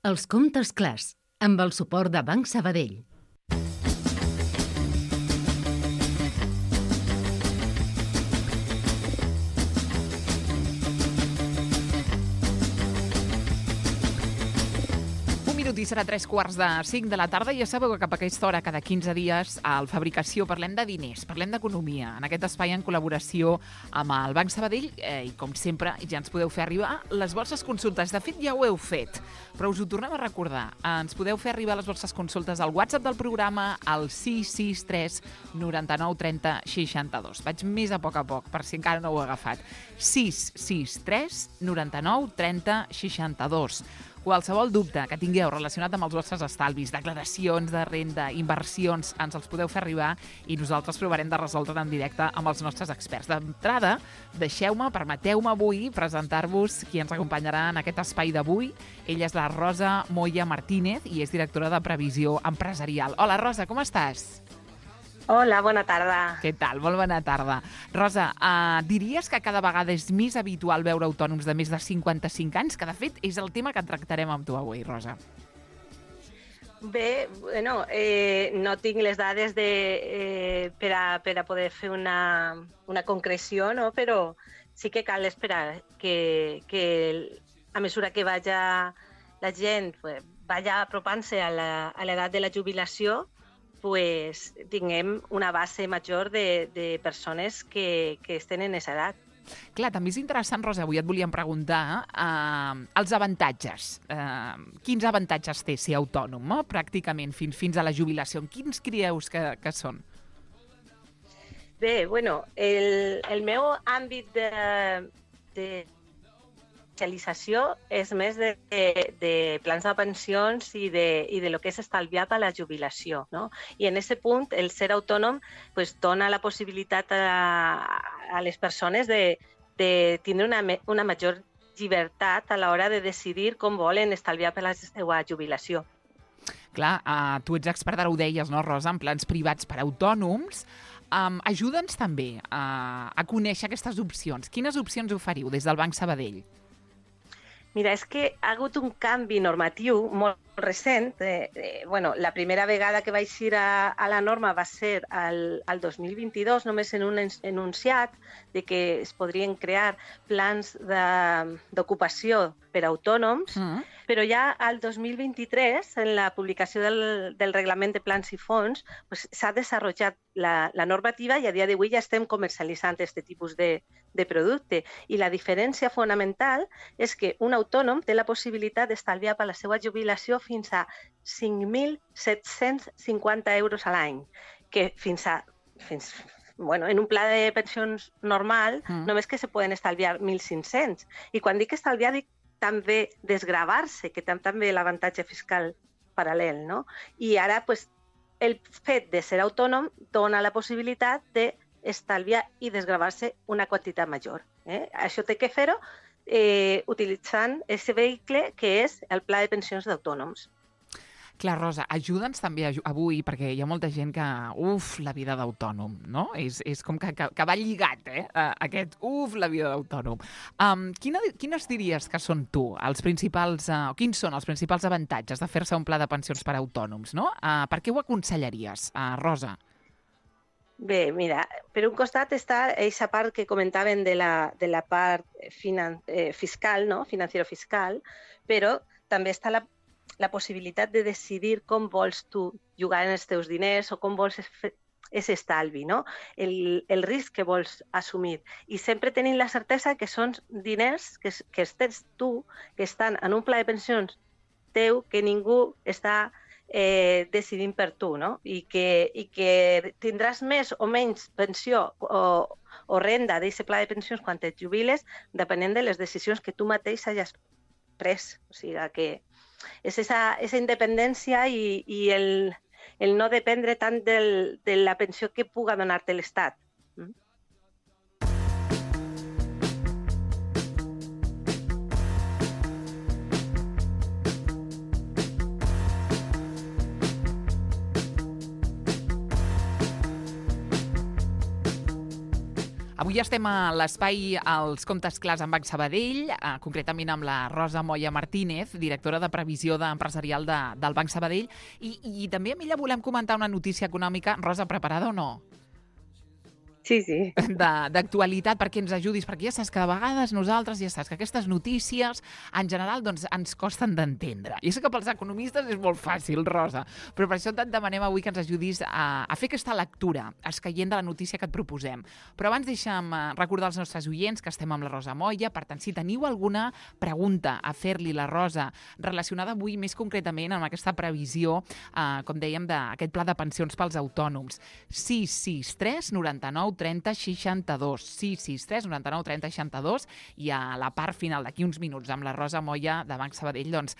Els comptes clars, amb el suport de Banc Sabadell. I serà 3:45 de la tarda. Ja sabeu que cap a aquesta hora, cada 15 dies, al Fabricació parlem de diners, parlem d'economia. En aquest espai, en col·laboració amb el Banc Sabadell, i com sempre, ja ens podeu fer arribar les vostres consultes. De fet, ja ho heu fet, però us ho tornem a recordar. Ens podeu fer arribar les vostres consultes al WhatsApp del programa, al 663 99 30 62. Vaig més a poc, per si encara no ho he agafat. 663 99 30 62. Qualsevol dubte que tingueu relacionat amb els vostres estalvis, declaracions de renda, inversions, ens els podeu fer arribar i nosaltres provarem de resoldre en directe amb els nostres experts. D'entrada, permeteu-me avui presentar-vos qui ens acompanyarà en aquest espai d'avui. Ella és la Rosa Moya Martínez i és directora de Previsió Empresarial. Hola, Rosa, com estàs? Hola, bona tarda. Què tal? Molt bona tarda. Rosa, diries que cada vegada és més habitual veure autònoms de més de 55 anys, que de fet és el tema que tractarem amb tu avui, Rosa. Bé, bueno, no tinc les dades per a poder fer una concreció, no? Però sí que cal esperar que a mesura que vaya la gent vaya apropant-se a l'edat de la jubilació, pues tinguem una base major de persones que estan en aquesta edat. Clar, també és interessant, Rosa, avui et volíem preguntar els avantatges. Quins avantatges té ser autònom, pràcticament, fins a la jubilació? Quins creus que són? Bé, bueno, el meu àmbit de especialització és més de plans de pensions i de lo que és estalviar per a la jubilació, no? I en aquest punt, el ser autònom pues, dona la possibilitat a les persones de tindre una major llibertat a l'hora de decidir com volen estalviar per a la seva jubilació. Clar, tu ets experta, ara ho deies, no, Rosa, en plans privats per a autònoms. Ajuda'ns també a conèixer aquestes opcions. Quines opcions oferiu des del Banc Sabadell? Mira, és que ha hagut un canvi normatiu molt recent. Bueno, la primera vegada que va eixir a la norma va ser al 2022, només en un enunciat de que es podrien crear plans d'ocupació per a autònoms, però ja al 2023, en la publicació del Reglament de Plans i Fons, pues, s'ha desenvolupat la normativa i a dia d'avui ja estem comercialitzant aquest tipus de producte. I la diferència fonamental és que un autònom té la possibilitat d'estalviar per la seva jubilació fins a 5.750 euros a l'any, que en un pla de pensions normal només que se poden estalviar 1.500. I quan dic estalviar, dic també desgravar-se, que té també l'avantatge fiscal paral·lel, no? I ara, pues, el fet de ser autònom dona la possibilitat d'estalviar i desgravar-se una quantitat major. Això té que fer-ho utilitzant aquest vehicle que és el Pla de Pensions d'Autònoms. Clar, Rosa, ajuda'ns també avui, perquè hi ha molta gent que, la vida d'autònom, no? És com que va lligat, aquest, la vida d'autònom. Quines diries que són quins són els principals avantatges de fer-se un pla de pensions per a autònoms, no? Per què ho aconsellaries, Rosa? Bé, mira, per un costat està aquesta part que comentaven de la part fiscal, no? Financero-fiscal, però també està la possibilitat de decidir com vols tu jugar en els teus diners o com vols fer aquest estalvi, no? El risc que vols assumir. I sempre tenint la certesa que són diners que tens tu, que estan en un pla de pensions teu, que ningú està decidint per tu, no? I que tindràs més o menys pensió o renda d'aquest pla de pensions quan et jubiles, depenent de les decisions que tu mateix hagis pres. O sigui que és aquesta independència i el no dependre tant de la pensió que puga donar-te l'Estat. Avui estem a l'espai als comptes clars amb Banc Sabadell, concretament amb la Rosa Moya Martínez, directora de previsió empresarial del Banc Sabadell, i també amb ella volem comentar una notícia econòmica. Rosa, preparada o no? Sí, sí. D'actualitat, perquè ens ajudis, perquè ja saps que de vegades nosaltres, ja saps que aquestes notícies, en general, doncs, ens costen d'entendre. I sé que pels economistes és molt fàcil, Rosa, però per això et demanem avui que ens ajudis a fer aquesta lectura escaient de la notícia que et proposem. Però abans deixa'm recordar als nostres oients que estem amb la Rosa Moya. Per tant, si teniu alguna pregunta a fer-li la Rosa relacionada avui més concretament amb aquesta previsió, com dèiem, d'aquest pla de pensions pels autònoms, 663 99 30 62, 663 99 30 62, i a la part final d'aquí uns minuts amb la Rosa Moya de Banc Sabadell doncs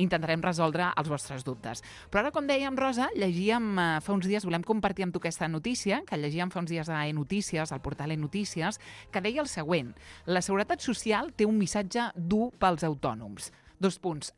intentarem resoldre els vostres dubtes. Però ara, com dèiem, Rosa, llegíem fa uns dies, volem compartir amb tu aquesta notícia, que llegíem fa uns dies a eNotícies, al portal eNotícies, que deia el següent: la Seguretat Social té un missatge dur pels autònoms.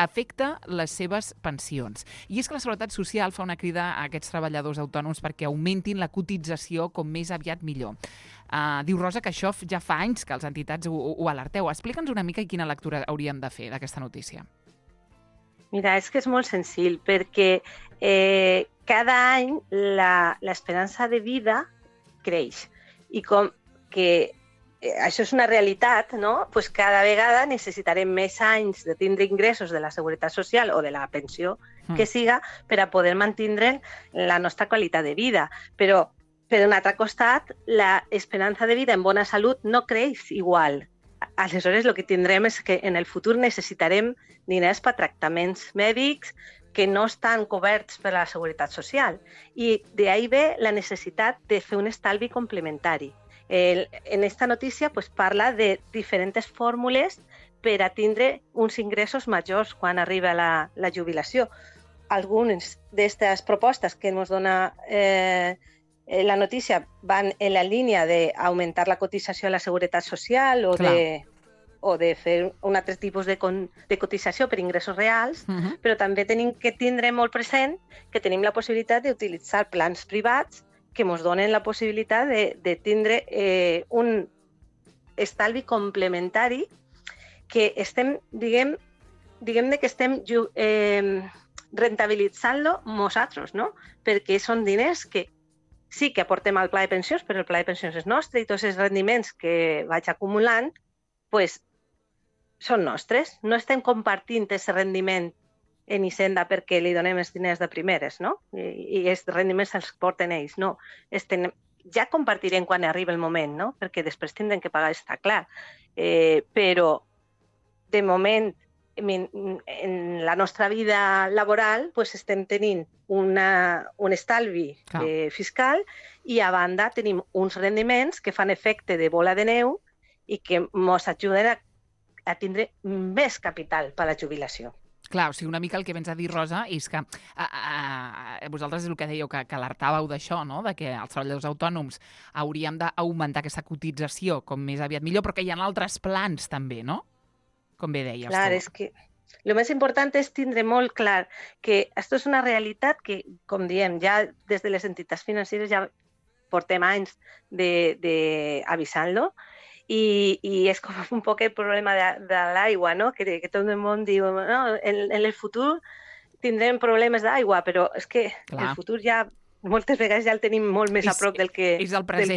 Afecta les seves pensions. I és que la Seguretat Social fa una crida a aquests treballadors autònoms perquè augmentin la cotització com més aviat millor. Diu Rosa que això ja fa anys que les entitats ho alerteu. Explica'ns una mica quina lectura hauríem de fer d'aquesta notícia. Mira, és que és molt senzill, perquè cada any l'esperança de vida creix. I com que això és una realitat, no? Pues cada vegada necessitarem més anys de tindre ingressos de la Seguretat Social o de la pensió que siga per a poder mantindre la nostra qualitat de vida. Però, per un altre costat, l'esperança de vida en bona salut no creix igual. Aleshores, el que tindrem és que en el futur necessitarem diners per tractaments mèdics que no estan coberts per la Seguretat Social. I d'ahí ve la necessitat de fer un estalvi complementari. En esta notícia pues, parla de diferents fórmules per a tindre uns ingressos majors quan arriba la jubilació. Algunes d'aquestes propostes que ens dona la notícia van en la línia d'augmentar la cotització a la Seguretat Social o de fer un altre tipus de cotització per ingressos reals, però també tenim que tindre molt present que tenim la possibilitat d'utilitzar plans privats que ens donen la possibilitat de tindre un estalvi complementari que estem, diguem-ne que estem rentabilitzant-lo nosaltres, no? Perquè són diners que sí que aportem al pla de pensions, però el pla de pensions és nostre i tots els rendiments que vaig acumulant pues, són nostres. No estem compartint aquest rendiment en Hisenda perquè li donem els diners de primeres, no? I els rendiments els porten ells, no. Ja compartirem quan arriba el moment, no? Perquè després tindrem que pagar, està clar. Però, de moment, en la nostra vida laboral, pues, estem tenint un estalvi fiscal i, a banda, tenim uns rendiments que fan efecte de bola de neu i que ens ajuden a tindre més capital per a la jubilació. Clar, o sigui, una mica el que vens a dir, Rosa, és que vosaltres és el que dèieu, que alertàveu d'això, no? De que els treballadors autònoms hauríem d'augmentar aquesta cotització com més aviat millor, però que hi ha altres plans també, no? Com bé deies tu. Clar, és que el més important és tindre molt clar que això és una realitat que, com diem, ja des de les entitats financeres ja portem anys d'avisant-lo. I és com un poc el problema de l'aigua, no? Que tot el món diu no, en el futur tindrem problemes d'aigua, però és que el futur ja moltes vegades ja el tenim molt més a prop del que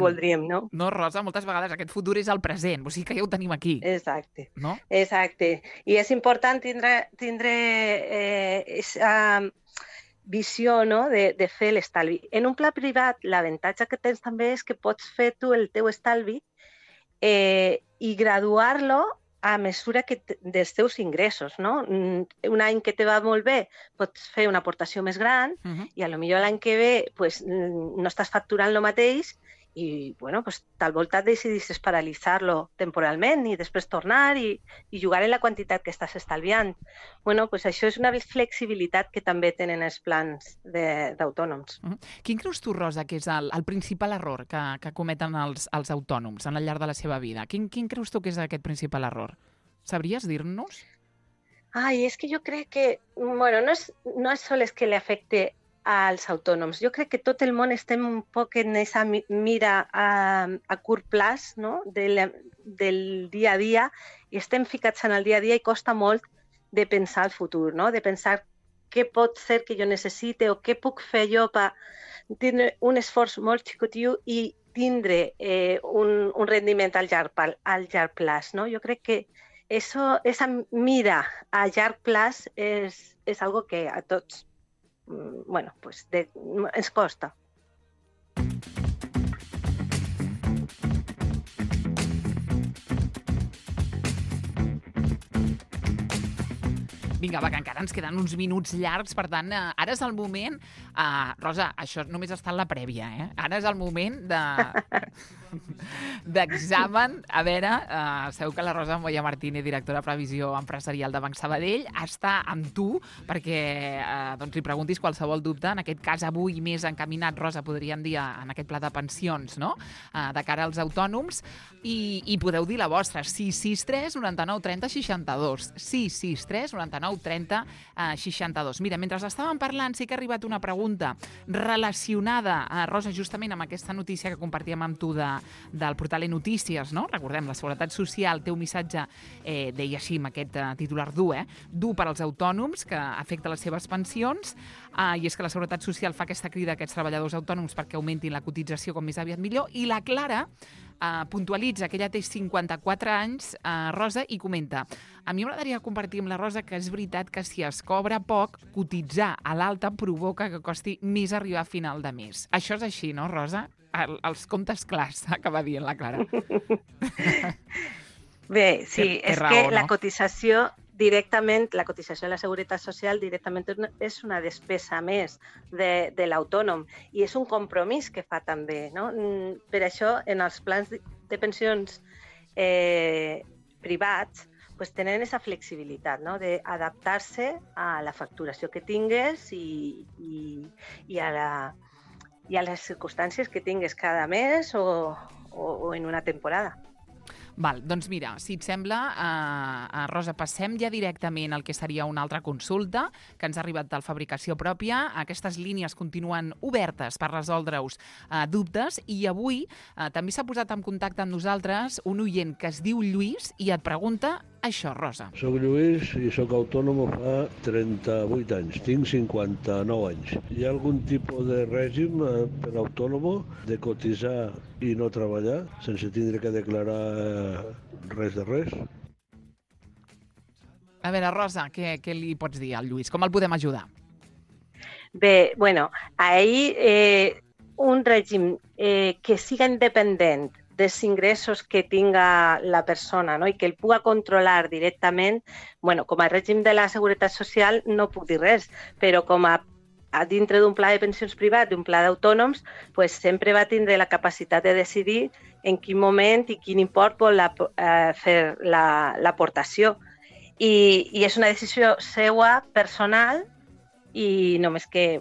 voldríem, no? No, Rosa, moltes vegades aquest futur és el present, o sigui que ja ho tenim aquí. Exacte, no? Exacte. I és important tindre aquesta visió, no? de fer l'estalvi. En un pla privat, l'avantatge que tens també és que pots fer tu el teu estalvi i graduar-lo a mesura dels teus ingressos, no? Un any que te va molt bé pots fer una aportació més gran i potser l'any que ve pues, no estàs facturant el mateix i bueno, pues, tal volta decidissis paralitzar-lo temporalment i després tornar i jugar en la quantitat que estàs estalviant. Bueno, pues això és una flexibilitat que també tenen els plans d'autònoms. Quin creus tu, Rosa, que és el principal error que cometen els autònoms al llarg de la seva vida? Quin creus tu que és aquest principal error? Sabries dir-nos? Ai, és que jo crec que, bueno, no és sols que li afecte als autònoms. Jo crec que tot el món estem un poc en aquesta mira a curt plaç, no? del dia a dia, i estem ficats en el dia a dia i costa molt de pensar el futur, no? De pensar què pot ser que jo necessite o què puc fer jo per tindre un esforç molt xicotiu i tindre un rendiment al llarg plaç, no? Jo crec que esa mira a llarg plaç és algo que a tots ens costa. Vinga, va, que encara ens queden uns minuts llargs, per tant, ara és el moment... Rosa, això només està en la prèvia, eh? Ara és el moment d'examen. A veure, sabeu que la Rosa Moya Martínez, directora de Previsió Empresarial de Banc Sabadell, està amb tu perquè li preguntis qualsevol dubte. En aquest cas, avui més encaminat, Rosa, podríem dir, en aquest pla de pensions, no? De cara als autònoms. I podeu dir la vostra. 663 99 30 62. 663 99 30 62. Mira, mentre estàvem parlant, sí que ha arribat una pregunta relacionada, Rosa, justament amb aquesta notícia que compartíem amb tu del portal e-Notícies, no? Recordem, la Seguretat Social té un missatge, deia així, amb aquest titular dur, dur per als autònoms, que afecta les seves pensions, i és que la Seguretat Social fa aquesta crida a aquests treballadors autònoms perquè augmentin la cotització com més aviat millor, i la Clara puntualitza que ella té 54 anys, Rosa, i comenta: a mi m'agradaria compartir amb la Rosa que és veritat que si es cobra poc, cotitzar a l'alta provoca que costi més arribar a final de mes. Això és així, no, Rosa? Els comptes clars, acaba dient la Clara. Bé, sí, és raó, que no? La cotització a la Seguretat Social directament és una despesa més de l'autònom i és un compromís que fa també, no? Per això, en els plans de pensions privats, tenen aquesta flexibilitat, no? D'adaptar-se a la facturació que tingues i a les circumstàncies que tingues cada mes o en una temporada. Val, doncs mira, si et sembla, Rosa, passem ja directament al que seria una altra consulta que ens ha arribat del Fabricació Pròpia. Aquestes línies continuen obertes per resoldre-us dubtes i avui també s'ha posat en contacte amb nosaltres un oient que es diu Lluís i et pregunta això, Rosa. Soc Lluís i soc autònom fa 38 anys. Tinc 59 anys. Hi ha algun tipus de règim per autònom de cotitzar i no treballar sense tindre que declarar res de res? A veure, Rosa, què li pots dir al Lluís? Com el podem ajudar? Bé, ahir un règim que siga independent dels ingressos que tinga la persona, no? I que el pugui controlar directament, com a règim de la Seguretat Social no puc dir res, però com a dintre d'un pla de pensions privat, d'un pla d'autònoms, sempre va tindre la capacitat de decidir en quin moment i quin import vol fer l'aportació. I és una decisió seva, personal, i només que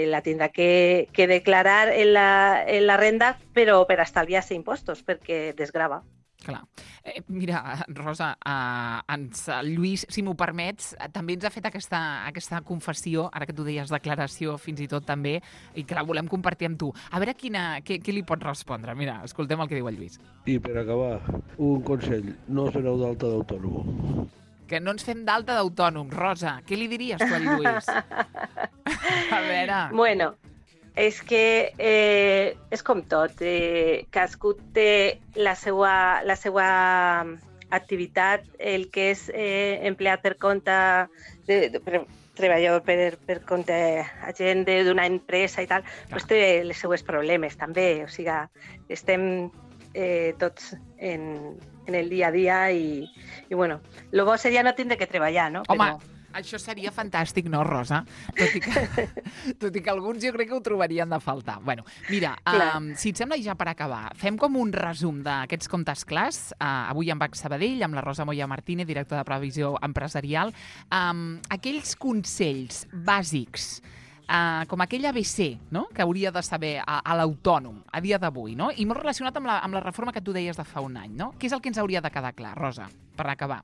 la tindrà que declarar en la renda, però per estalviar-se impostos, perquè desgrava. Clar. Mira, Rosa, Lluís, si m'ho permets, també ens ha fet aquesta confessió, ara que tu deies declaració fins i tot també, i que la volem compartir amb tu. A veure què li pots respondre. Mira, escoltem el que diu el Lluís. I per acabar, un consell, no us doneu d'alta d'autònom. Que no ens fem d'alta d'autònom. Rosa, què li diries tu al Lluís? A veure... És que és com tot. Cadascú té la seva activitat, el que és empleat per compte, treballador per compte agent d'una empresa i tal, té els seus problemes també. O sigui, estem tots en el dia a dia i el bo seria no tindre que treballar, no? Home, això seria fantàstic, no, Rosa? Tot i que alguns jo crec que ho trobarien de faltar. Mira, si et sembla, ja per acabar, fem com un resum d'aquests comptes clars, avui amb Banc Sabadell, amb la Rosa Moya Martínez, directora de Previsió Empresarial, aquells consells bàsics, com aquell ABC, no?, que hauria de saber a l'autònom a dia d'avui, no? I molt relacionat amb la reforma que tu deies de fa un any, no? Què és el que ens hauria de quedar clar, Rosa, per acabar?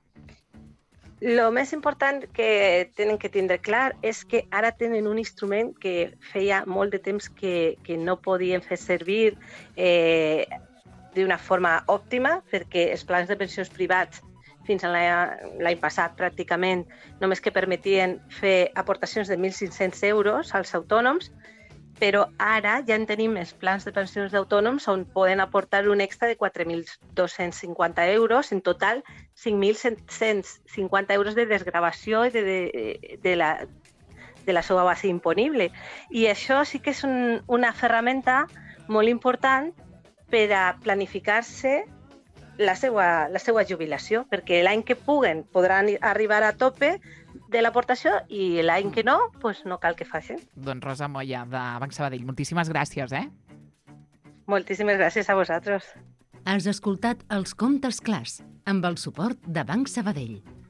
Lo més important que tenen que tindre clar és que ara tenen un instrument que feia molt de temps que no podien fer servir d'una forma òptima, perquè els plans de pensions privats fins a l'any passat pràcticament només que permetien fer aportacions de 1.500 euros als autònoms, però ara ja en tenim els plans de pensions d'autònoms on poden aportar un extra de 4.250 euros, en total 5.750 euros de desgravació de la seva base imponible. I això sí que és una ferramenta molt important per a planificar-se la seva jubilació, perquè l'any que puguen podran arribar a tope de l'aportació i l'any que no, doncs no cal que facin. Doncs Rosa Moya, de Banc Sabadell, moltíssimes gràcies, Moltíssimes gràcies a vosaltres. Has escoltat Els Comptes Clars, amb el suport de Banc Sabadell.